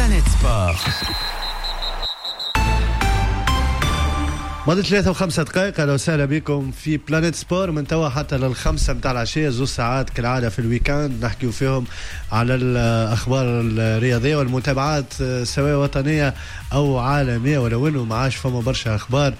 Planète Sport. ماضي 3:05، اهلا وسهلا بكم في Planète Sport من توا حتى لل5 متاع العشية، 2 ساعات كالعادة في ال week-end نحكيو فيهم على الأخبار الرياضية والمتابعات سواء وطنية أو عالمية، ولو أنه ما عادش فما برشا أخبار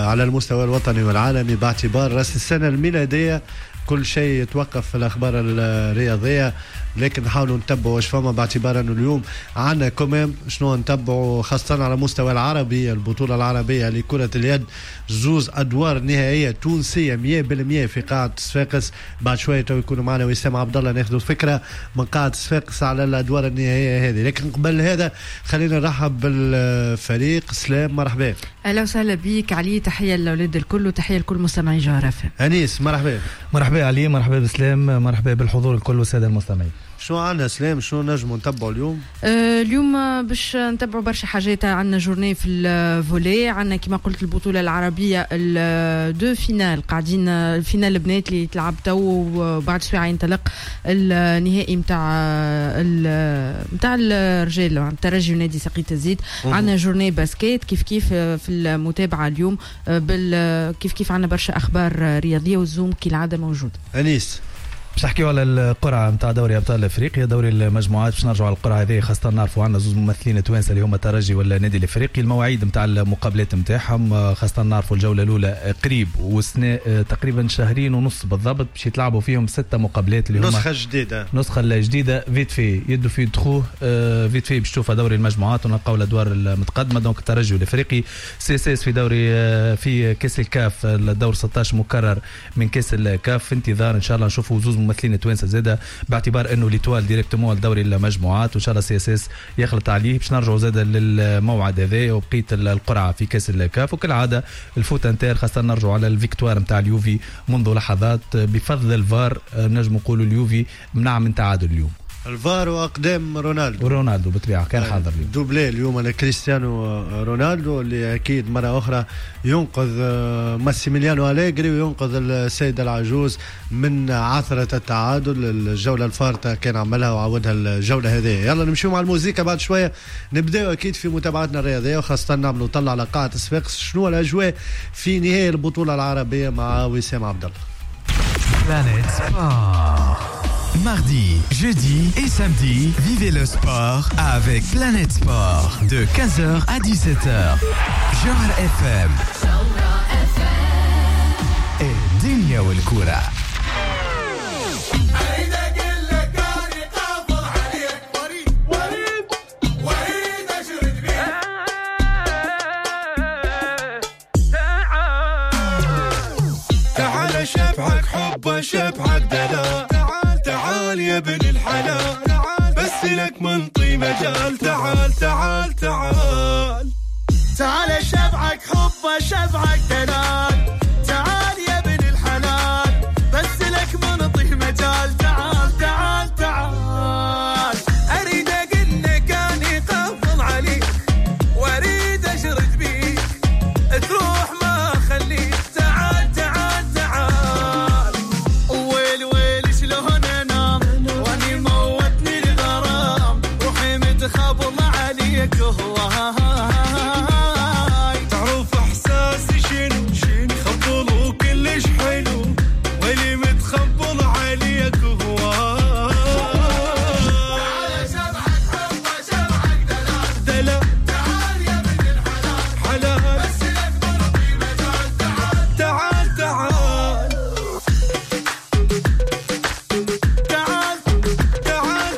على المستوى الوطني والعالمي باعتبار رأس السنة الميلادية كل شيء يتوقف في الأخبار الرياضية، لكن نحاولوا نتبعوا واش فما باعتبار أنه اليوم عندنا quand même شنو نتبعوا خاصة على مستوى العربي، البطولة العربية لكرة اليد، 2 أدوار نهائية تونسية 100% في قاعة صفاقس. بعد شوية تو يكونوا معنا وسام عبد الله ناخذ فكرة من قاعة صفاقس على الأدوار النهائية هذه، لكن قبل هذا خلينا نرحب بالفريق. سلام، مرحبا. أهلا وسهلا بك علي، تحية للأولاد الكل وتحية لكل مستمعي جوهرة FM. أنيس مرحبا. مرحبا علي، مرحبا بسلام، مرحبا بالحضور الكل والسادة المستمعين. شنو عندنا سلام، شنو نجموا نتبعوا اليوم؟ اليوم باش نتبعوا برشا حاجات، عندنا journée في ال volley، عندنا كما قلت البطولة العربية ال deux finales قاعدين، ال finale البنات اللي تلعب تو وبعد ساعة ينطلق النهائي نتاع الرجال الترجي ونادي ساقية الزيت. عندنا journée basket كيف كيف في المتابعة اليوم، كيف كيف عندنا برشا اخبار رياضية والزوم كالعادة موجود. انيس باش نحكيو على القرعة نتاع دوري ابطال افريقيا، دوري المجموعات، باش نرجعوا على القرعة هذه، خاصة نعرفوا عندنا زوج ممثلين توانسة اللي هما الترجي ولا النادي الافريقي، المواعيد نتاع المقابلات نتاعهم، خاصة نعرفوا الجولة الاولى قريب وسنة تقريبا 2.5 شهر بالضبط باش يتلعبوا فيهم 6 مقابلات اللي هما النسخة الجديدة، النسخة الجديدة vite fait يدو في دخوه vite fait باش تشوفها دوري المجموعات ونلقاو الادوار المتقدمة. donc الترجي والافريقي، CSS في دوري في كاس الكاف الدور 16 مكرر من كاس الكاف، في انتظار ان شاء الله نشوفوا زوج ممثلين التوانسة زاده باعتبار انه l'Étoile directement لدوري المجموعات، وان شاء الله CSS يخلط عليه. باش نرجعوا زاده للموعد هذا وبقية القرعة في كاس الكاف، وكالعادة ال foot inter، خاصة نرجعوا على ال victoire نتاع اليوفي منذ لحظات بفضل الفار، نجم نقولوا اليوفي منع من تعادل اليوم. الفار واقدام رونالدو، رونالدو بالطبيعة كان حاضر اليوم، doublé اليوم على كريستيانو رونالدو اللي اكيد مرة اخرى ينقذ ماسيميليانو أليغري وينقذ السيدة العجوز من عثره التعادل. الجولة الفارطه كان عملها وعودها الجولة هذه. يلا نمشيو مع الموزيكا بعد شوية، نبداو اكيد في متابعتنا الرياضية وخاصة نعملوا طلع على قاعة صفاقس شنو الاجواء في نهائي البطولة العربية مع وسام عبد الله. Planète Sport. Mardi, jeudi et samedi, vivez le sport avec Planète Sport de 15h à 17h. Jawhara FM. الدنيا والكرة. تعال شبعك حب شبعك دلال، تعال يا ابن الحلال، بس لك منطي مجال، تعال تعال تعال تعال شبعك حب شبعك دلال، تعال يا ابن الحلال، بس لك منطي مجال، تعال تعال تعال. أريد أقول لك أني قافل عليك وأريد أشرد بيك، تروح ما أخليك، تعال تعال تعال. ويل ويل شلون أنام وأني موتني الغرام، روحي متخبل عليك هواي، تعرف إحساسي شنو شنو خبل وكلش حلو، ويلي متخبل عليك هواي. تعال شبعك حب شبعك دلال دلال، تعال يا ابن الحلال حلال، بس لك مرضي مجال، تعال تعال تعال تعال تعال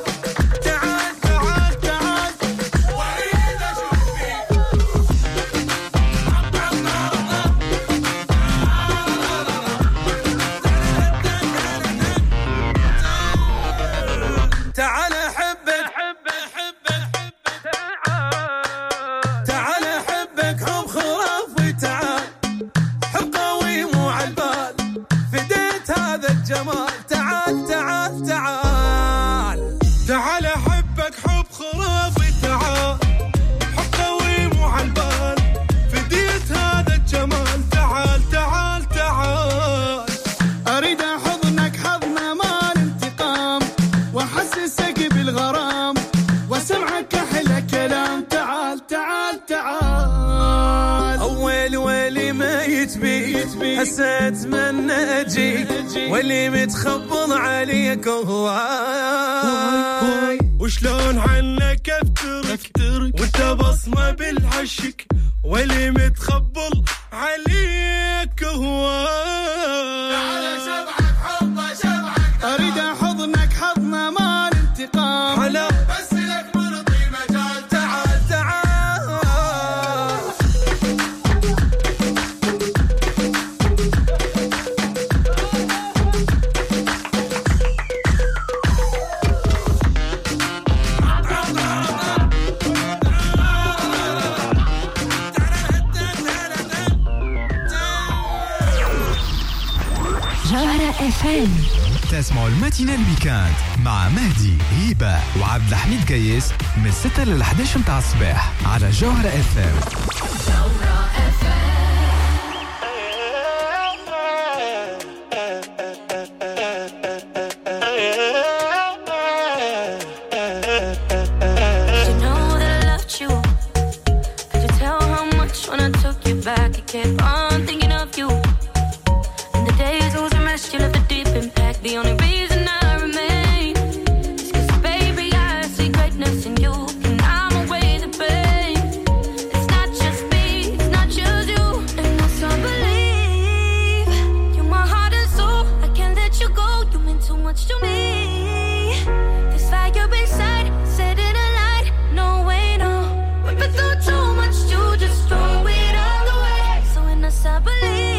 تعال تعال تعال. واريد اشوف هسه اتمنى اجيك واللي متخبل عليك هواي. وشلون عنك افترك وانت بصمة بالعشق واللي متخبل عليك هواي. على شبعك حضنه شبعك اريد احضنك حضنه مال انتقام على بس لك مرضي مجال تعال تعال. تسمعوا ال matinale week-end مع مهدي هبة وعبد الحميد قيس من 6 ل 11 متاع الصباح على جوهرة FM. جوهرة FM. The only reason I remain is 'cause baby I see greatness in you and I'm away the pain. It's not just me, it's not just you. And that's I believe you're my heart and soul. I can't let you go, you mean too much to me. This fire inside, set it alight. No way, no. We've been through too much to just throw it all away. So in us I believe.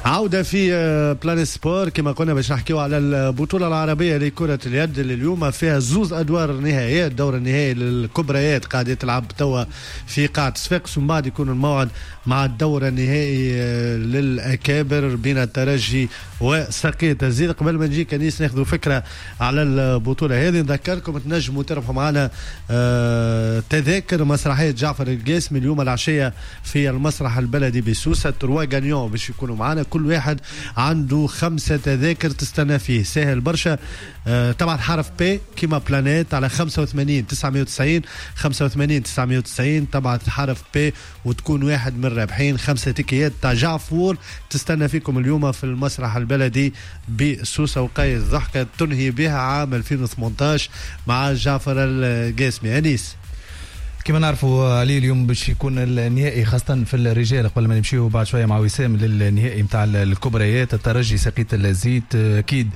عودة في Planète Sport كما قلنا باش نحكيو على البطولة العربية لكرة اليد اللي اليوم فيها زوز أدوار نهائية. الدور النهائي للكبريات قاعدة تلعب توا في قاعة صفاقس، ومن بعد يكون الموعد مع الدور النهائي للأكابر بين الترجي وساقية الزيت. قبل ما نجي كنيس ناخذ فكرة على البطولة هذه، نذكركم تنجموا تربحوا معنا تذاكر مسرحية جعفر القاسمي اليوم العشية في المسرح البلدي بسوسة. trois gagnants باش يكونوا معنا، كل كل واحد عنده 5 تذاكر تستنى فيه. سهل برشا، تبعت حرف P كيما Planète على 85 990 85 990، تبعت حرف P وتكون واحد من الرابحين. 5 تيكيات تاع جعفور تستنى فيكم اليوم في المسرح البلدي بسوسة، وقاية الضحكة تنهي بها عام 2018 مع جعفر القاسمي. أنيس، كما نعرفوا علي اليوم باش يكون النهائي خاصة في الرجال، قبل ما نمشيو بعد شوية مع وسام للنهائي نتاع الكبريات، الترجي سقية الزيت، أكيد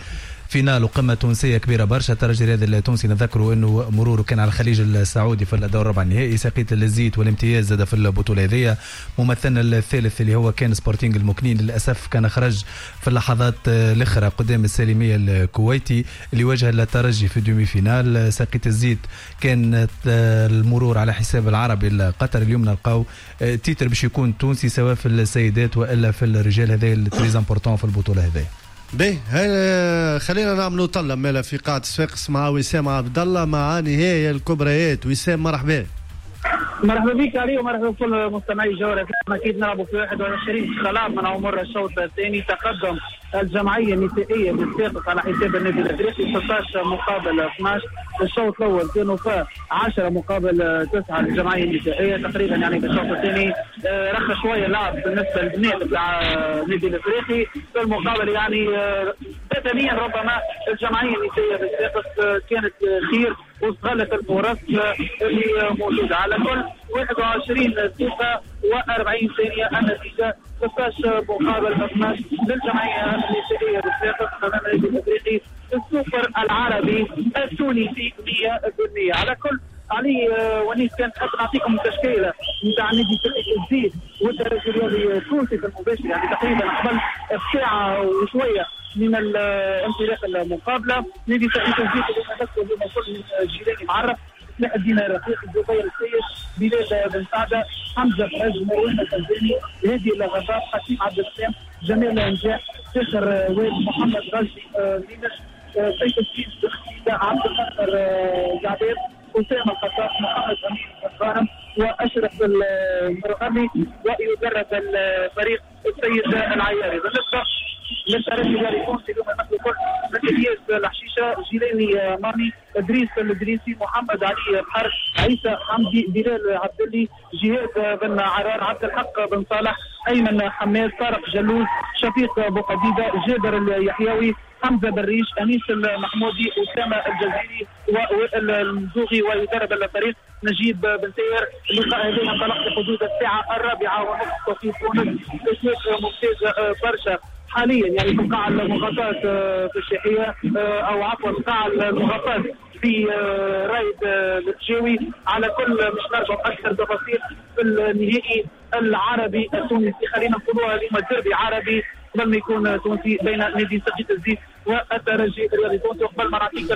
finale وقمة تونسية كبيرة برشا. الترجي الرياضي التونسي نذكروا انه مروره كان على الخليج السعودي في الدور الربع النهائي، سقية الزيت والامتياز زاد في البطولة هذيا. ممثلنا الثالث اللي هو كان سبورتينغ المكنين للاسف كان خرج في اللحظات الاخرى قدام السالمية الكويتي اللي واجه الترجي في demi-finale. سقية الزيت كان المرور على حساب العربي القطري. اليوم نلقاو titre باش يكون تونسي سواء في السيدات والا في الرجال، هذا ال très important في البطولة هذه. باهي، خلينا نعملوا طلة مالا في قاعة صفاقس مع وسام عبد الله مع نهاية الكبريات. وسام مرحبا. مرحبا بك علي ومرحبا بكل مستمعي الجوهرة. اكيد نلعبوا في 21 خلاص من عمر الشوط الثاني. تقدم الجمعية النسائية بالساقط على حساب النادي الافريقي 16 مقابل 12. الشوط الاول كانوا 10 مقابل 9 للجمعية النسائية تقريبا. يعني في الشوط الثاني رخى شوية اللعب بالنسبة للبنات بتاع النادي الافريقي في المقابل. يعني بدنيا ربما الجمعية النسائية بالساقط كانت خير واستغلت الفرص اللي موجودة. على كل 21 دقيقة و40 ثانية النتيجة 16 مقابل 12 للجمعية النسائية بالساقط امام النادي الافريقي السوبر العربي التونسي 100%. على كل علي ونيس كان تحب نعطيكم التشكيلة نتاع نادي الزيت والترجي الرياضي التونسي في المباشر، يعني تقريبا قبل ساعة وشوية من انطلاق المقابلة. نادي ساقية الزيت اللي نذكروا بما كل جيلاني معرف، صلاح الدين الرفيق، زبير السيد، بلال بن سعدة، حمزة فرج، مروان التنزيلي، هادي الغفار، حكيم عبد السلام، جمال نجاح، فخر واد، محمد غازي مينش، سيف الدين عبد القادر جعبير، اسامة الخطاب، محمد امين الغانم، واشرف المرغبي، ويدرب الفريق السيد العياري. بالنسبة للترجي الرياضي التونسي اليوم المثل الكل من الياس الحشيشه، جيلاني مامي، ادريس الادريسي، محمد علي بحر، عيسى حمدي، بلال عبدلي، جهاد بن عرار، عبد الحق بن صالح، ايمن حماد، طارق جلوز، شفيق بوقديده، جابر اليحيوي، حمزة بريش، انيس المحمودي، اسامة الجزيري، ووائل المزوغي، ويدرب الفريق نجيب بن سير. اللقاء هذا انطلق في حدود الساعة 4:30 في تونس. تشويق ممتاز برشا حاليا يعني في قاع المغطاة في الشيحية، او عفوا قاع المغطاة في رايد التجاوي. على كل مش نرجع اكثر تفاصيل في النهائي العربي التونسي، خلينا نقولوها اليوم الديربي عربي قبل ما يكون تونسي بين نادي سقية الزيت والترجي الرياضي التونسي. وقبل ما نعطيك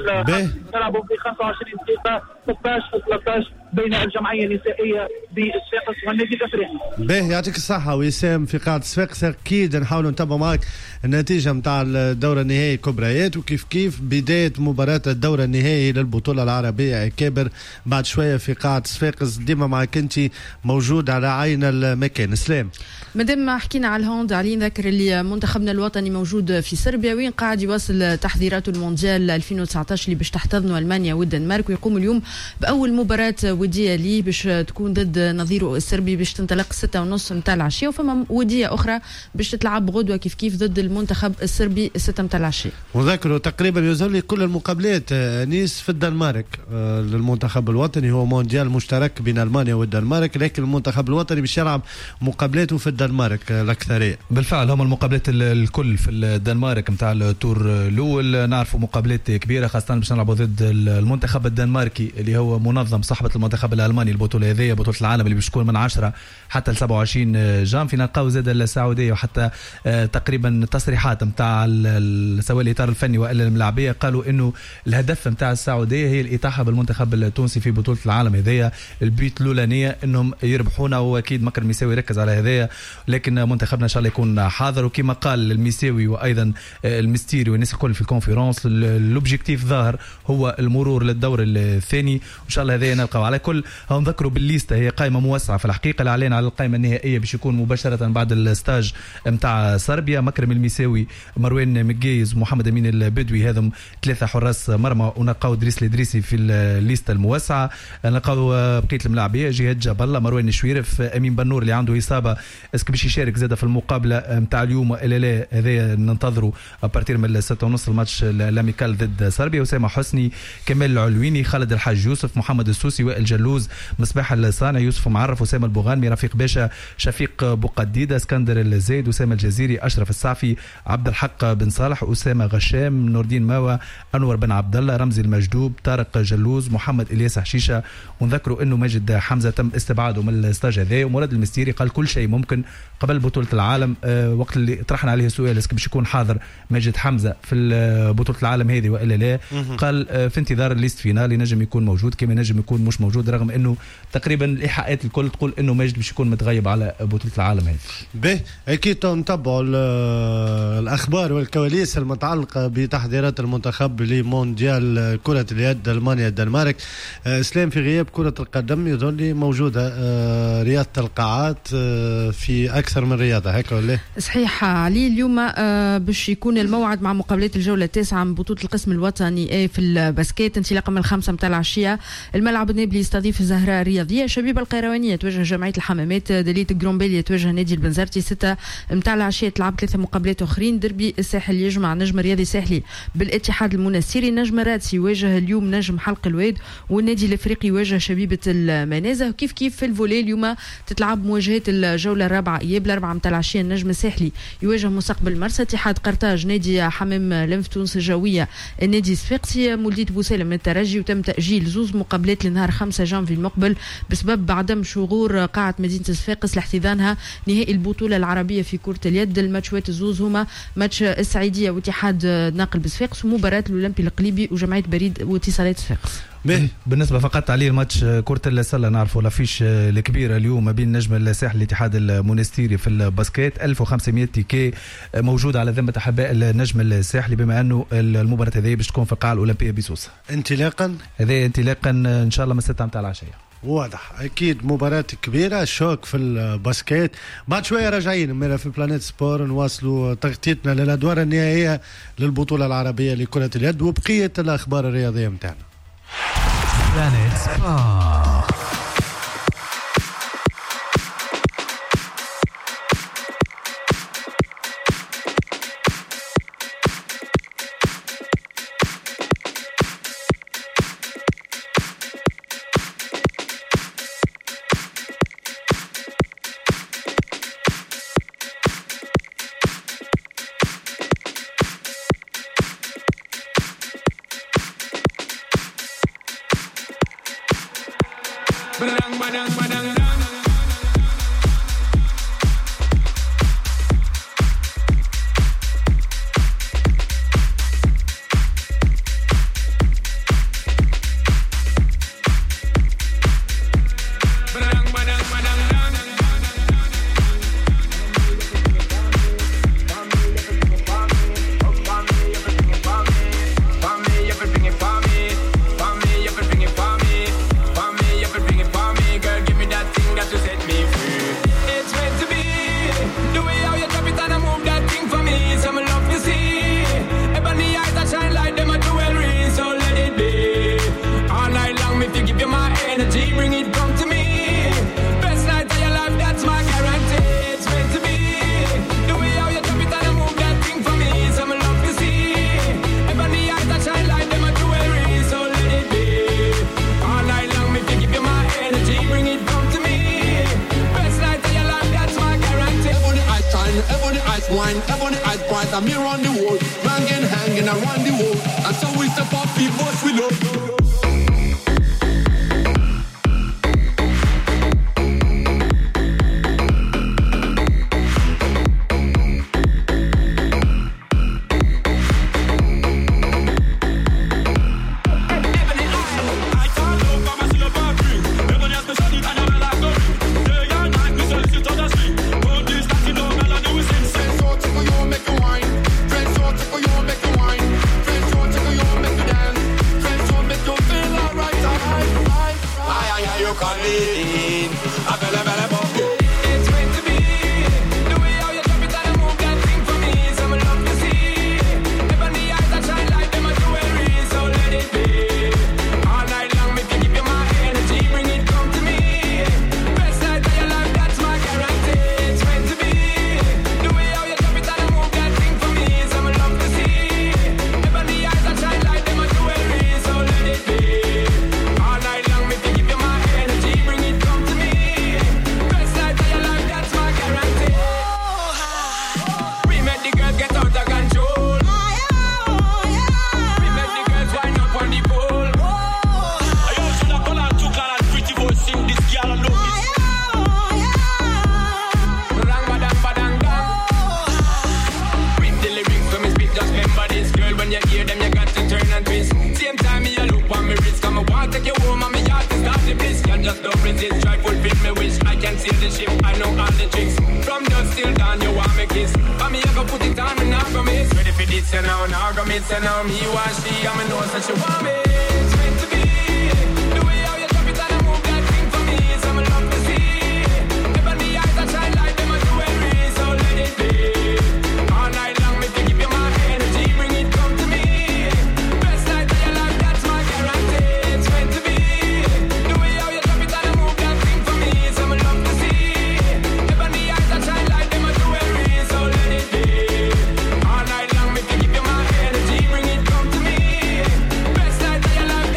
نلعبوا في 25 دقيقة 16-13 بين الجمعية النسائية بالصفاقس والنادي الافريقي. باهي، يعطيك الصحة وسام في قاعة صفاقس. اكيد نحاولوا نتابعوا معك النتيجة نتاع الدورة النهائي كبريات، وكيف كيف بداية مباراة الدورة النهائي للبطولة العربية كابر بعد شوية في قاعة صفاقس. ديما معك انت موجود على عين المكان. سلام. مادام حكينا على ال hand علي، نذكر اللي منتخبنا الوطني موجود في صربيا وين قاعد يواصل تحضيراته المونديال 2019 اللي باش تحتضنه المانيا والدنمارك، ويقوم اليوم باول مباراة وديه ليه باش تكون ضد نظيره الصربي باش تنطلق 6:30 نتاع العشية، وفما وديه اخرى باش تتلعب غدوه كيف كيف ضد المنتخب الصربي 6 نتاع العشية. وذكروا تقريبا يظهر لي كل المقابلات نيس في الدنمارك للمنتخب الوطني، هو مونديال مشترك بين المانيا والدنمارك، لكن المنتخب الوطني باش يلعب مقابلاته في الدنمارك الاكثرية. بالفعل هم المقابلات الكل في الدنمارك نتاع ال tour الاول، نعرفوا مقابلات كبيرة خاصة باش نلعبوا ضد المنتخب الدنماركي اللي هو منظم صحبه المنتخب الالماني البطولة هذه، بطوله العالم اللي باش تكون من 10 حتى ل 27 جانفي. نلقاو زاد السعودية، وحتى تقريبا تصريحات نتاع سواء الاطار الفني والا الملاعبيه قالوا انه الهدف نتاع السعودية هي الاطاحه بالمنتخب التونسي في بطوله العالم هذه، البيت الاولانية انهم يربحونا، واكيد مكر الميساوي يركز على هذايا، لكن منتخبنا ان شاء الله يكون حاضر. وكما قال الميساوي وايضا المستيري الناس الكل في ال conférence، l'objectif ظاهر هو المرور للدور الثاني، وان شاء الله هذا نلقاو. على كل نذكروا بال liste، هي قائمة موسعه في الحقيقة. الاعلان على القائمة النهائية باش يكون مباشرة بعد ال stage نتاع صربيا. مكرم الميساوي، مروان مقايز، محمد امين البدوي، هذم 3 حراس مرمى، ونلقاو دريس الادريسي في ال liste الموسعه. نلقاو بقية الملاعبيه، جهاد جاب الله، مروان شويرف، امين بنور اللي عنده اصابه، est-ce que باش يشارك زاده في المقابلة نتاع اليوم والا لا، هذا ننتظروا à partir من 6:30 الماتش l'amical ضد صربيا. اسامة حسني، كمال العلويني، خالد الحاج يوسف، محمد السوسي، وائل جلوز، مصباح الصانع، يوسف معرف، اسامة البوغانمي، رفيق باشا، شفيق بوقديده، اسكندر الزايد، اسامة الجزيري، اشرف السعفي، عبد الحق بن صالح، اسامة غشام، نور الدين ماوى، انور بن عبد الله، رمزي المجدوب، طارق جلوز، محمد الياس حشيشه. ونذكروا انه ماجد حمزة تم استبعاده من ال stage هذا، ومراد المستيري قال كل شيء ممكن قبل بطوله العالم. وقت اللي طرحنا عليه سؤال est-ce que باش يكون حاضر ماجد حمزة في بطوله العالم هذه والا لا، قال في انتظار ال liste finale ينجم يكون موجود كما ينجم يكون مش موجود، رغم انه تقريبا الايحاءات الكل تقول انه ماجد باش يكون متغيب على بطوله العالم هذه. به اكيد نتبعوا الاخبار والكواليس المتعلقة بتحضيرات المنتخب لمونديال كره اليد المانيا الدنمارك. اسلام، في غياب كره القدم يظل لي موجودة رياضة القاعات في اكثر من رياضة، هكا ولا؟ صحيح علي، اليوم باش يكون الموعد مع مقابلات الجولة التاسعة من بطوله القسم الوطني في ال basket، انطلاقا من 5 متاع العشية. الملعب النابلي يستضيف الزهراء الرياضية، شبيبة القيروانيه تواجه جمعية الحمامات، دليل الجرومبيل يتواجه نادي البنزرتي. 6 متاع العشية تلعب 3 مقابلات اخرين، دربي الساحل يجمع نجم الرياضي الساحلي بالاتحاد المنستيري، نجم رادسي يواجه اليوم نجم حلق الواد، والنادي الافريقي يواجه شبيبة المنازه. كيف كيف في ال volley اليوم تتلعب مواجهات الجولة الرابعة اياب، 4 متاع العشية النجم الساحلي يواجه مستقبل مرسى، اتحاد قرطاج نادي حمام لنف تونس الجوية النادي الصفاقسي، مولدية بوسالم الترجي. وتم تاجيل 2 مقابلات لنهار 5 جانفي المقبل بسبب عدم شغور قاعة مدينة صفاقس لاحتضانها نهائي البطولة العربية في كره اليد. الماتشات الزوز هما ماتش السعيديه واتحاد ناقل بصفاقس، ومباراة الاولمبي القليبي وجمعية بريد واتصالات صفاقس. بالنسبة فقط عليه الماتش كره السلة، نعرفوا l'affiche الكبيرة اليوم ما بين نجم الساحل الاتحاد المونستيري في ال basket. 1500 ticket موجود على ذمه احباء النجم الساحلي، بما انه المباراة هذه باش تكون في القاعة الاولمبية بسوسه. انطلاقا هذا انطلاقا ان شاء الله من 6 متاع العشية. واضح اكيد مباراة كبيرة، choc في ال basket. بعد شوية راجعين في Planète Sport نواصلوا تغطيتنا للادوار النهائية للبطولة العربية لكرة اليد وبقية الاخبار الرياضية متاعنا. Planète Sport. Make you wine. miss you now, now go miss you now. Me want she, I'm a know that she want me. It's meant to be. The way how you drop it and I move that thing for me, so me love to see. Ebony eyes that shine like them a jewelry, so let it be. All night long, me to give you my energy, bring it come to me. Best night of your life, that's my guarantee. It's meant to be. The way how you drop it and I move that thing for me, so me love to see. Ebony eyes that shine like them a jewelry, so let it be. All night long, me to give you my energy, bring it come to me. Best night of your life,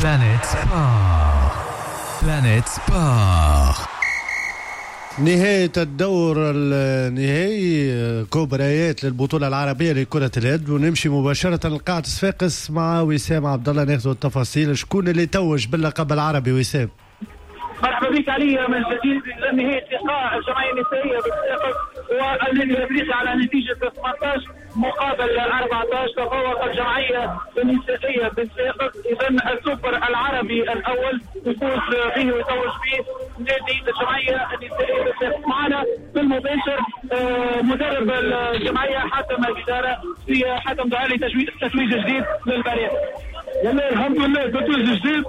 Planète Sport. Planète Sport. نهاية الدور النهائي كبريات للبطولة العربية لكرة اليد، ونمشي مباشرة لقاعة صفاقس مع وسام عبد الله ناخذ التفاصيل. شكون اللي توج باللقب العربي وسام؟ مرحبا بك علي من جديد. نهاية لقاء الجمعية النسائية بالصفاقس والنادي الافريقي على نتيجة 18 مقابل 14. تفوق الجمعية النسائية بالصفاقس. إذا السوبر العربي الأول يفوز به ويتوج به نادي الجمعية النسائية بالصفاقس. معنا في المباشر مدرب الجمعية حاتم الجدارة في حاتم دعالي تتويج جديد للفريق. والله الحمد لله تتويج جديد.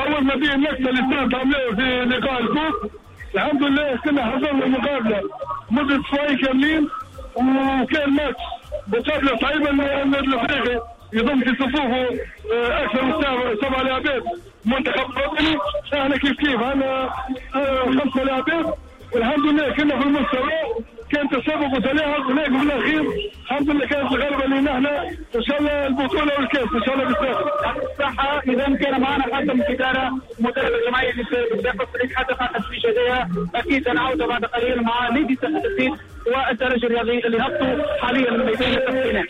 أول ما بيه النكسة اللي صارت عملوها في لقاء ال coupe، الحمد لله كنا حضرنا المقابلة مدة شوي كاملين، وكان ماتش مقابلة صعيبة. النادي الأفريقي يضم في صفوفه أكثر من 7 لاعبات منتخب وطني، احنا كيف كيف عندنا 5 لاعبات، والحمد لله كنا في المستوى. كان تسابق وتلاحق، ولكن في الاخير الحمد لله كانت الغلبة لنا احنا. ان شاء الله البطولة والكاس ان شاء الله بالساقط. صحة. اذا كان معنا حاتم الجداره مدرب الجمعية بالصفاقس اللي تحدث عن التتويج هذايا. اكيد العودة بعد قليل مع نادي ساحل الزيت والترجي الرياضي اللي هبطوا حاليا من ميدان التسعينات.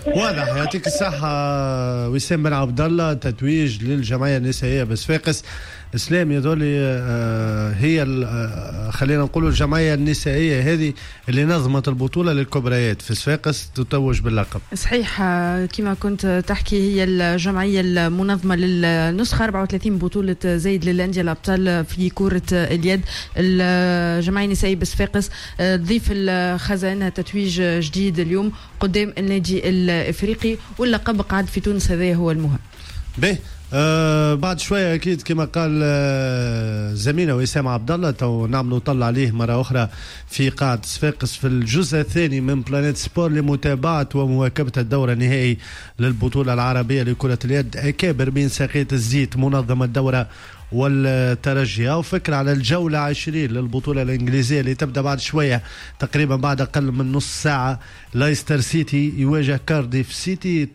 واضح، يعطيك الصحة وسام بن عبد الله. تتويج للجمعية النسائية بصفاقس. اسلام يظل هي خلينا نقولوا الجمعية النسائية هذه اللي نظمت البطولة للكبريات في صفاقس تتوج باللقب. صحيح، كما كنت تحكي هي الجمعية المنظمة للنسخة 34 بطولة زايد للأندية الأبطال في كرة اليد. الجمعية النسائية بصفاقس تضيف خزانها تتويج جديد اليوم قدام النادي الإفريقي، واللقب قعد في تونس، هذا هو المهم. به بعد شوية أكيد كما قال زميلنا وسام عبد الله تو نعملوا طلع عليه مرة أخرى في قاعة صفاقس في الجزء الثاني من Planète Sport لمتابعة ومواكبة الدور النهائي للبطولة العربية لكرة اليد أكابر بين ساقية الزيت منظمة الدورة والترجي. أو فكرة على الجولة 20 للبطولة الإنجليزية اللي تبدأ بعد شوية تقريبا بعد أقل من نص ساعة. لايستر سيتي يواجه كارديف سيتي،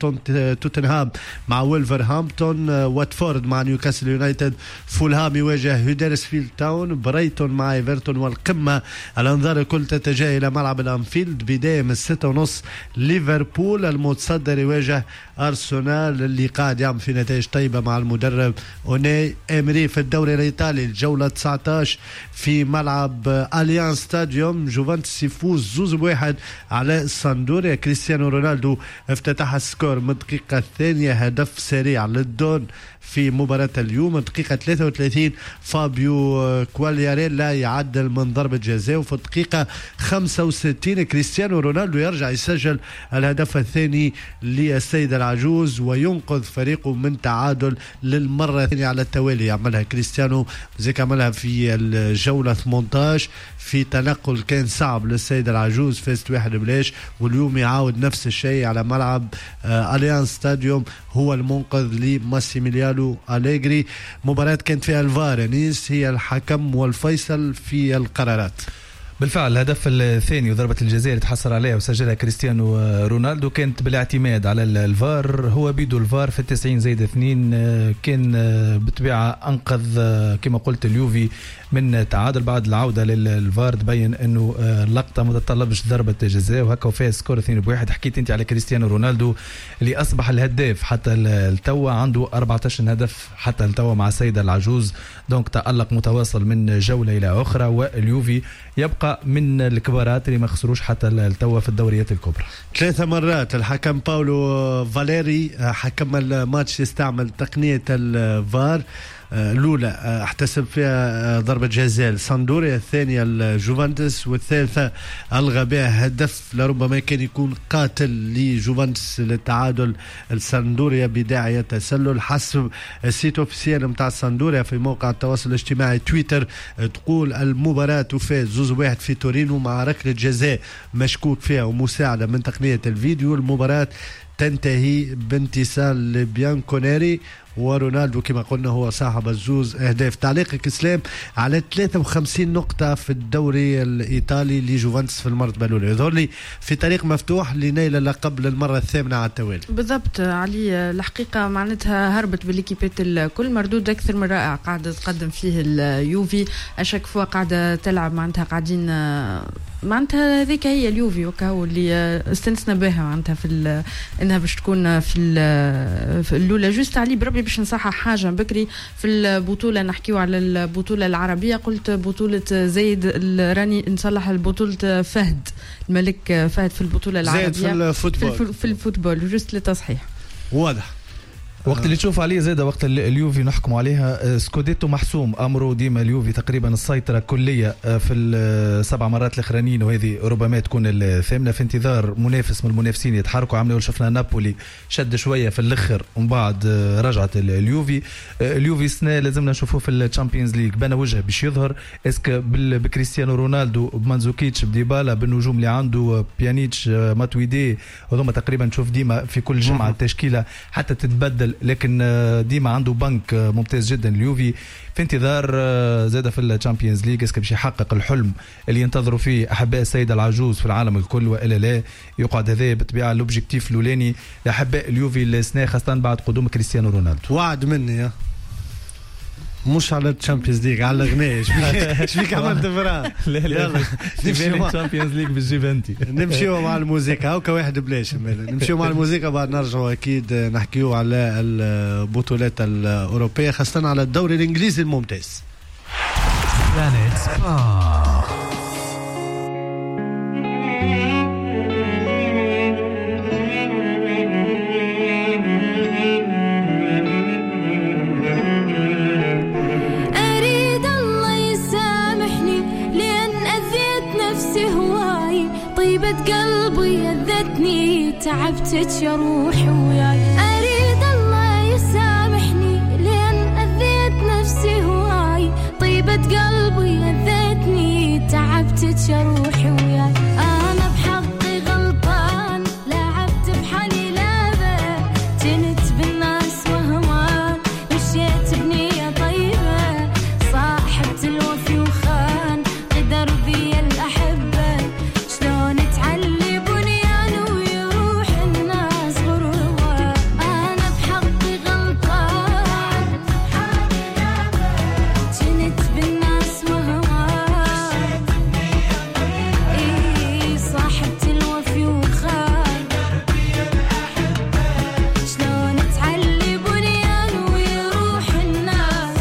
توتنهام مع وولفرهامبتون، واتفورد مع نيوكاسل يونايتد، فولهام يواجه هيدرسفيلد تاون، برايتون مع ايفرتون. والقمة الأنظار الكل تتجه إلى ملعب الأنفيلد بداية من 6:30. ليفربول المتصدر يواجه أرسنال اللي قاعد يعمل في نتائج طيبة مع المدرب أوناي إمري. في الدوري الإيطالي الجولة 19 في ملعب أليانز ستاديوم، جوفنتوس يفوز 2-1 على ساندوريا. كريستيانو رونالدو افتتح ال score من الدقيقة الثانية، هدف سريع للدون في مباراة اليوم. الدقيقة 33 فابيو كوالياريلا يعدل من ضربة جزاء، وفي الدقيقة 65 كريستيانو رونالدو يرجع يسجل الهدف الثاني للسيدة العجوز وينقذ فريقه من تعادل للمرة الثانية على التوالي. يعملها كريستيانو زي عملها في الجولة 18 في تنقل كان صعب للسيدة العجوز، فازت 1-0، واليوم يعاود نفس الشيء على ملعب أليانز ستاديوم، هو المنقذ لماسيميليانو أليجري. مباراة كانت فيها الفار نيس هي الحكم والفيصل في القرارات. بالفعل الهدف الثاني وضربة الجزاء اللي تحصل عليها وسجلها كريستيانو رونالدو كانت بالاعتماد على الفار، هو بيدو الفار في 90+2 كان بالطبيعة أنقذ كما قلت اليوفي من تعادل. بعد العودة للفار تبين أنه اللقطة ما تتطلبش ضربة جزاء، وهكا وفاز score 2-1. حكيت أنت على كريستيانو رونالدو اللي أصبح الهداف حتى التوا، عنده 14 هدف حتى التوا مع السيدة العجوز، donc تألق متواصل من جولة إلى أخرى، واليوفي يبقى من الكبارات اللي ما خسروش حتى التوا في الدوريات الكبرى. 3 مرات الحكم باولو فاليري حكم الماتش يستعمل تقنية الفار. الأولى احتسب فيها ضربة جزاء لساندوريا، الثانية الجوفنتوس، والثالثة ألغى بها هدف لربما كان يكون قاتل لجوفنتوس للتعادل لساندوريا بداعية تسلل. حسب ال site officiel متاع ساندوريا في موقع التواصل الاجتماعي تويتر تقول المباراة تفاز 2-1 في تورينو مع ركلة جزاء مشكوك فيها ومساعدة من تقنية الفيديو. المباراة تنتهي بانتصار لبيانكونيري، ورونالدو كما قلنا هو صاحب الزوز اهداف. تعليقك اسلام على 53 نقطة في الدوري الايطالي لجوفنتوس في المرتبة الاولى، يظهر لي في طريق مفتوح لنيل اللقب للمرة الثامنة على التوالي. بالضبط علي، الحقيقة معناتها هربت بال équipe ات الكل، مردود اكثر من رائع قاعدة تقدم فيه اليوفي، à chaque fois قاعدة تلعب معناتها قاعدين معناتها هذيك هي اليوفي وكهو اللي استنسنا بها معناتها في انها باش تكون في الاولى. juste علي بربي باش نصحح حاجة بكري في البطولة، نحكيو على البطولة العربية قلت بطوله زايد، راني نصلح البطولة فهد، الملك فهد في البطولة العربية زايد في ال football، في ال football juste للتصحيح. واضح. وقت اللي تشوف عليه زاد وقت اليوفي نحكموا عليها scudetto محسوم امره، ديما اليوفي تقريبا السيطرة كليه في السبع مرات الاخرانيين، وهذه ربما تكون الثامنة، في انتظار منافس من المنافسين يتحركوا. عملوا شفنا نابولي شد شوية في الاخر ومن بعد رجعت اليوفي. اليوفي السنة لازمنا نشوفوه في ال Champions League بان وجه باش يظهر، est-ce que بكريستيانو رونالدو، بمانزوكيتش، بديبالا، بالنجوم اللي عنده، بيانيتش، ماتويدي، هذوما تقريبا نشوف ديما في كل جمعه التشكيلة حتى تتبدل، لكن ديما عنده بنك ممتاز جدا اليوفي. في انتظار زاد في ال Champions League est-ce que باش يحقق الحلم اللي ينتظروا فيه احباء السيدة العجوز في العالم الكل والا لا، يقعد هذا بالطبيعة l'objectif الاولاني لاحباء اليوفي السنة، خاصة بعد قدوم كريستيانو رونالدو. وعد مني مش على ال Champions League، على الغناء. اش بيك عملت فرا؟ لا لا نمشيو ال Champions League بالجيب انت. نمشيو مع الموسيقى هاكا واحد بلاش، نمشيو مع الموسيقى بعد نرجعوا اكيد نحكيو على البطولات الاوروبية، خاصة على الدوري الانجليزي الممتاز. Planet Sport. قلبي أذتني تعبتك يا روحي وياي، أريد الله يسامحني لأن أذيت نفسي هواي، طيبة قلبي أذتني تعبتك يا روحي وياي، أنا بحقي غلطان لعبت بحالي لعبة، جنت بالناس وهوان مشيت بنية طيبة، صاحبت الوفي وخان قدر بي الأحبة، شلون تعلي بنيان ويروح الناس غروة، أنا بحقي غلطان جنت بالناس وهوان، إيه صاحبت الوفي وخان، شلون تعلي بنيان ويروح الناس،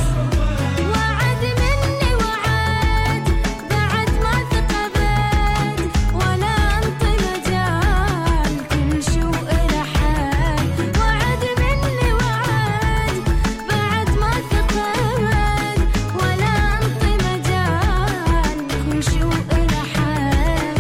وعد مني وعد بعد ما ثقبت ولا انطي مجال كل شي وإلى حال، وعد مني وعد بعد ما ثقبت ولا انطي مجال كل شي وإلى حال.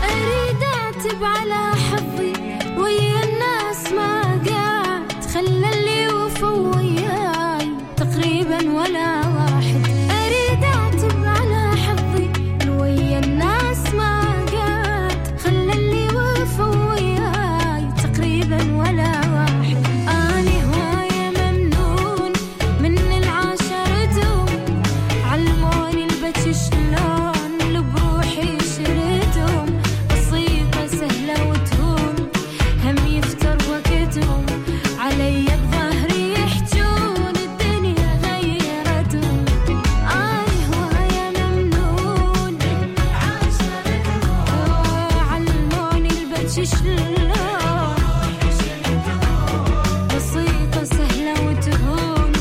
أريد أعتب على حظي ويا الناس ما قعد، خلى اللي وفوا وياي تقريبا ولا واحد، أريد أعتب على حظي ويا الناس ما قعد، خلى اللي وفوا وياي تقريبا ولا واحد، أني هواية ممنون من العاشرتهم، علموني البكي شلون لبروحي شريتهم، بسيطة سهلة وتهون هم يفتر وقتهم، علي بظهري يحجون الدنيا غيرتهم، أنا هواية ممنون علموني البكي شلون بسيطة سهلة وتهون،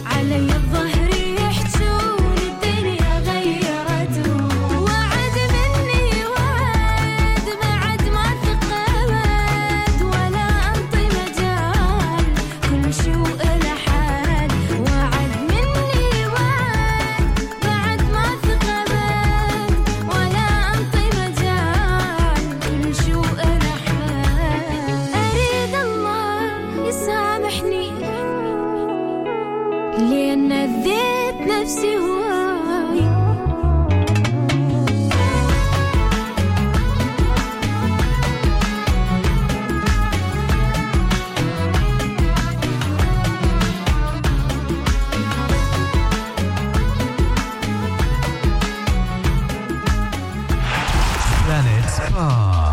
علي الظهر يحجون الدنيا غيرتهم، وعد مني وعد بعد ما ثقبت ولا أنطي مجال كل شي وإلى حال، وعد مني وعد بعد ما ثقبت Sport.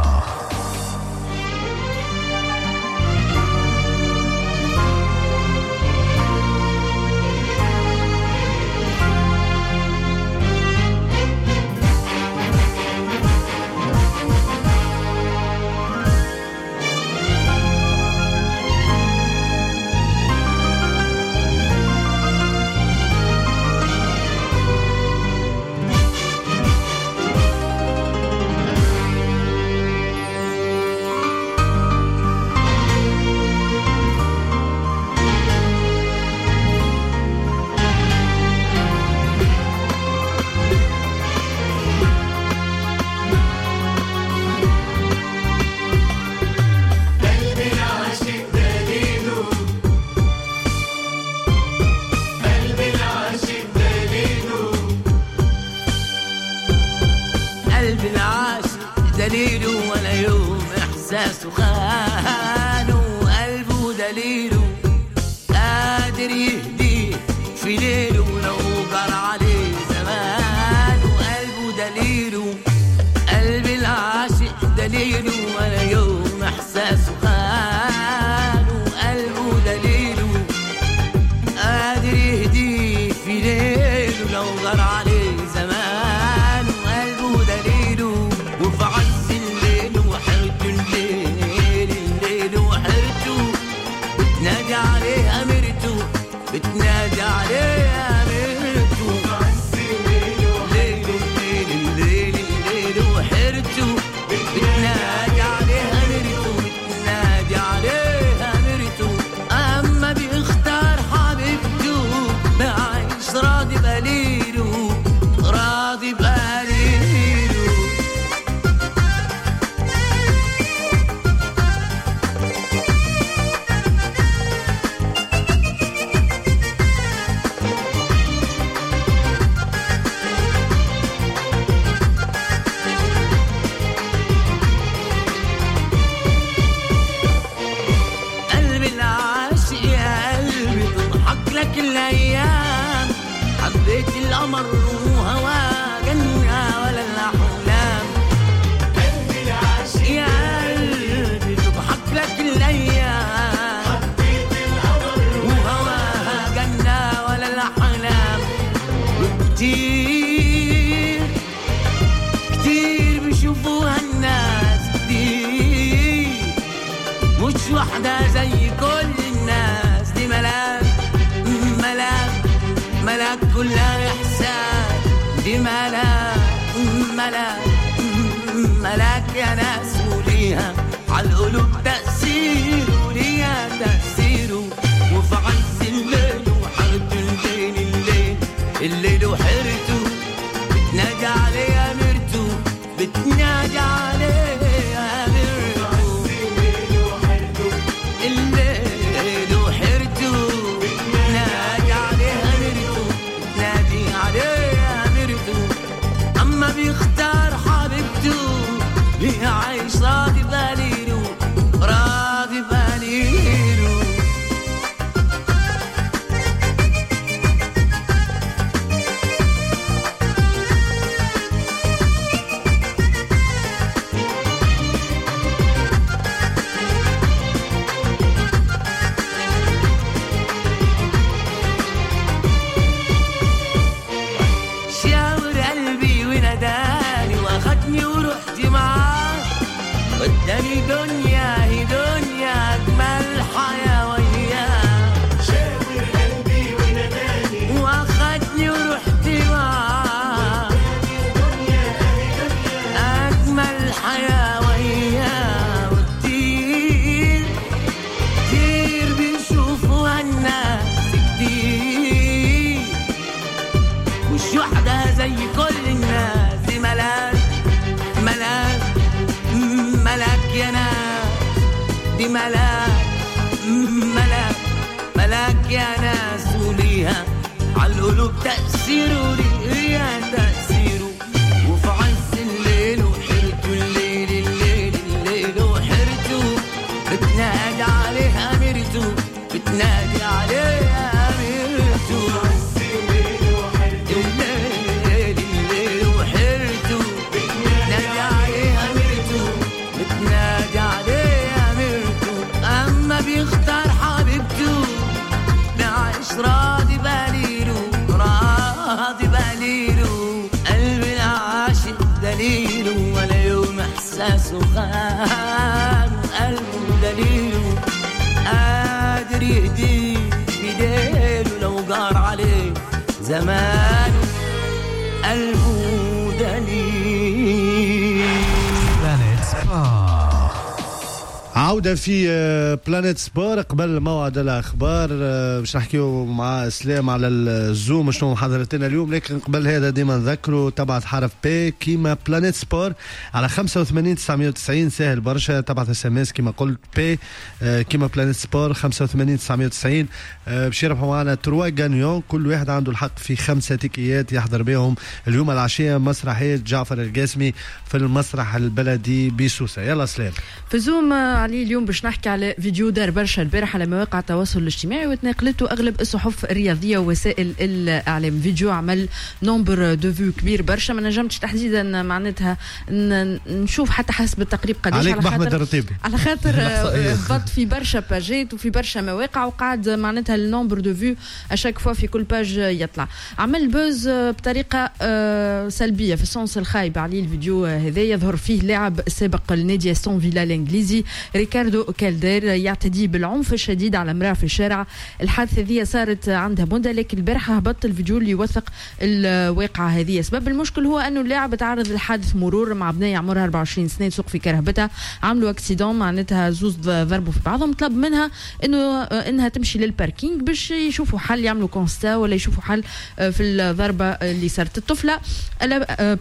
بتنادي عليه أميرته الليل الليل وحيرته، بتنادي عليه أميرته. احساسه خان، قلبه دليله قادر يهديه بديله لو جار عليه زمانه، قلبه دليل. Planète Sport. عودة في Planète Sport. قبل موعد الأخبار باش نحكيو مع اسلام على ال Zoom شنو محاضرتنا اليوم، لكن قبل هذا ديما نذكروا تبعث حرف P كيما Planète Sport على 85 990، ساهل برشا، تبعث SMS كيما قلت P كيما Planète Sport 85 990. باش يربحوا معنا 3 gagnants، كل واحد عنده الحق في 5 تيكيات يحضر بهم اليوم العشية مسرحية جعفر القاسمي في المسرح البلدي بسوسة. يلا سلام. في Zoom علي اليوم باش نحكي على فيديو دار برشا البارح على مواقع التواصل الاجتماعي وتناقلته اغلب الصحف الرياضية ووسائل الاعلام. فيديو عمل nombre de vues كبير برشا، ما نجمتش تحديدا معناتها نشوف حتى حسب التقريب قداش، عليك بأحمد الرطيبي، على خاطر هبط في برشا باجات وفي برشا مواقع، وقعد معناتها ال nombre de vues à chaque fois في كل page يطلع. عمل buzz بطريقة سلبية في ال sens الخايب عليه. الفيديو هذا يظهر فيه لاعب سابق لنادي استون فيلا الانجليزي ريكاردو كالدير يعتدي بالعنف الشديد على امرأة في الشارع. الحادثة هذه صارت عندها مدة، لكن البارحة هبط الفيديو اللي يوثق الواقعة هذه. سبب المشكل هو أنه اللاعب تعرض لحادث مرور مع بنية عمرها 24 سنة تسوق في كرهبتها، عملوا accident معناتها زوز ضربوا في بعضهم. طلب منها انها تمشي لل parking باش يشوفوا حل، يعملوا constat ولا يشوفوا حل في الضربة اللي صارت. الطفلة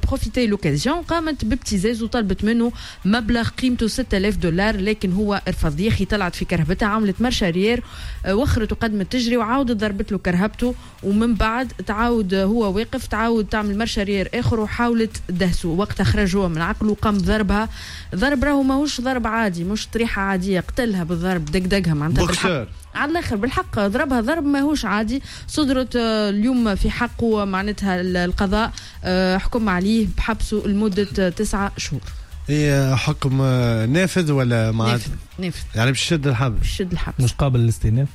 profité l'occasion، قامت بابتزاز وطلبت منه مبلغ قيمته $6000، لكن هو رفض. ياخي طلعت في كرهبتها، عملت marche arrière، وخرت وقدمت تجري وعاودت ضربت له كرهبته، ومن بعد تعاود هو واقف تعاود تعمل marche arrière اخر وحاولت دهسه. وقتها خرج هو من عقله وقام ضربها ضرب، راهو ماهوش ضرب عادي، مش طريحه عادية، قتلها بالضرب، دقدقها معناتها boxeur على الاخر بالحق، ضربها ضرب ماهوش عادي. صدرت اليوم في حقه معناتها القضاء حكم عليه بحبسه لمدة 9 شهور. هي حكم نافذ ولا ما نافذ؟ يعني باش يشد الحبس. باش يشد الحبس، مش قابل للاستئناف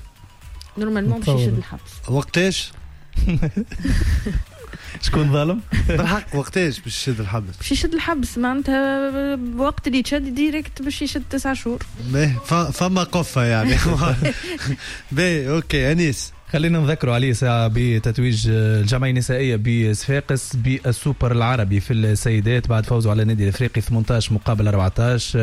normalement، باش يشد الحبس. وقتاش؟ شكون ظالم؟ بالحق وقتاش باش يشد الحبس؟ باش يشد الحبس معناتها وقت اللي يتشد direct باش يشد 9 شهور. فما قفة يعني. باهي OK انيس. خلينا نذكروا عليه ساعة بتتويج الجمعية النسائية بصفاقس بالسوبر العربي في السيدات بعد فوزه على النادي الافريقي 18 مقابل 14.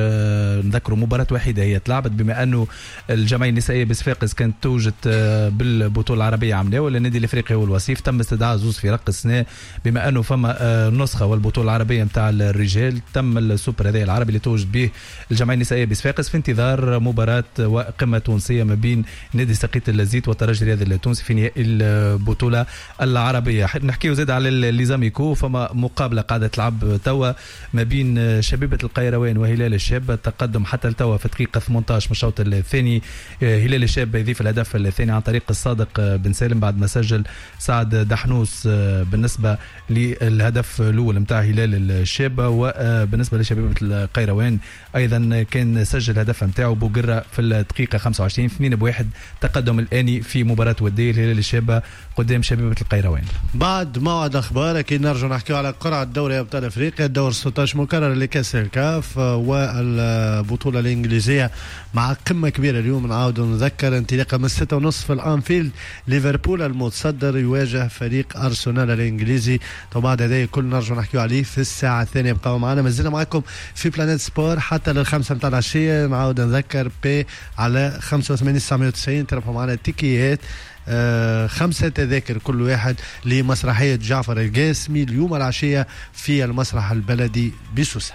نذكروا مباراة وحيدة هي تلعبت، بما انه الجمعية النسائية بصفاقس كانت توجت بالبطولة العربية عام ولا النادي الافريقي هو الوصيف. تم استدعاء زوز فرق السنة بما انه فما نسخة والبطولة العربية نتاع الرجال. تم السوبر هذا العربي اللي توجت به الجمعية النسائية بصفاقس في انتظار مباراة وقمة تونسية ما بين نادي سقيط الزيت والترجي الرياضي التونسي في نهائي البطولة العربية. نحكيو زاد على les amicaux، فما مقابلة قاعدة تلعب توا ما بين شبيبة القيروان وهلال الشابة. التقدم حتى لتوا في دقيقة 18 من الشوط الثاني، هلال الشابة يضيف الهدف الثاني عن طريق الصادق بن سالم بعد ما سجل سعد دحنوس بالنسبة للهدف الأول نتاع هلال الشابة. وبالنسبة لشبيبة القيروان أيضا كان سجل هدف نتاعو بوقرة في الدقيقة 25. 2-1 تقدم الآني في مباراة ودية الهلال الشابة قدام شبيبة القيروان. بعد موعد أخبار أكيد نرجع نحكيو على قرعة دوري أبطال أفريقيا، الدور 16 مكرر لكأس الكاف والبطولة الإنجليزية مع قمة كبيرة اليوم. نعاود نذكر انطلاقة من 6:30 في الأنفيلد، ليفربول المتصدر يواجه فريق أرسنال الإنجليزي. طبعا هذا كل نرجع نحكيو عليه في الساعة الثانية. بقاو معنا، مازلنا معكم في Planète Sport حتى للخمسة متاع العشية. نعاود نذكر P على 85 990 تربحوا معنا تيكيات 5 تذاكر كل واحد لمسرحية جعفر القاسمي اليوم العشية في المسرح البلدي بسوسة.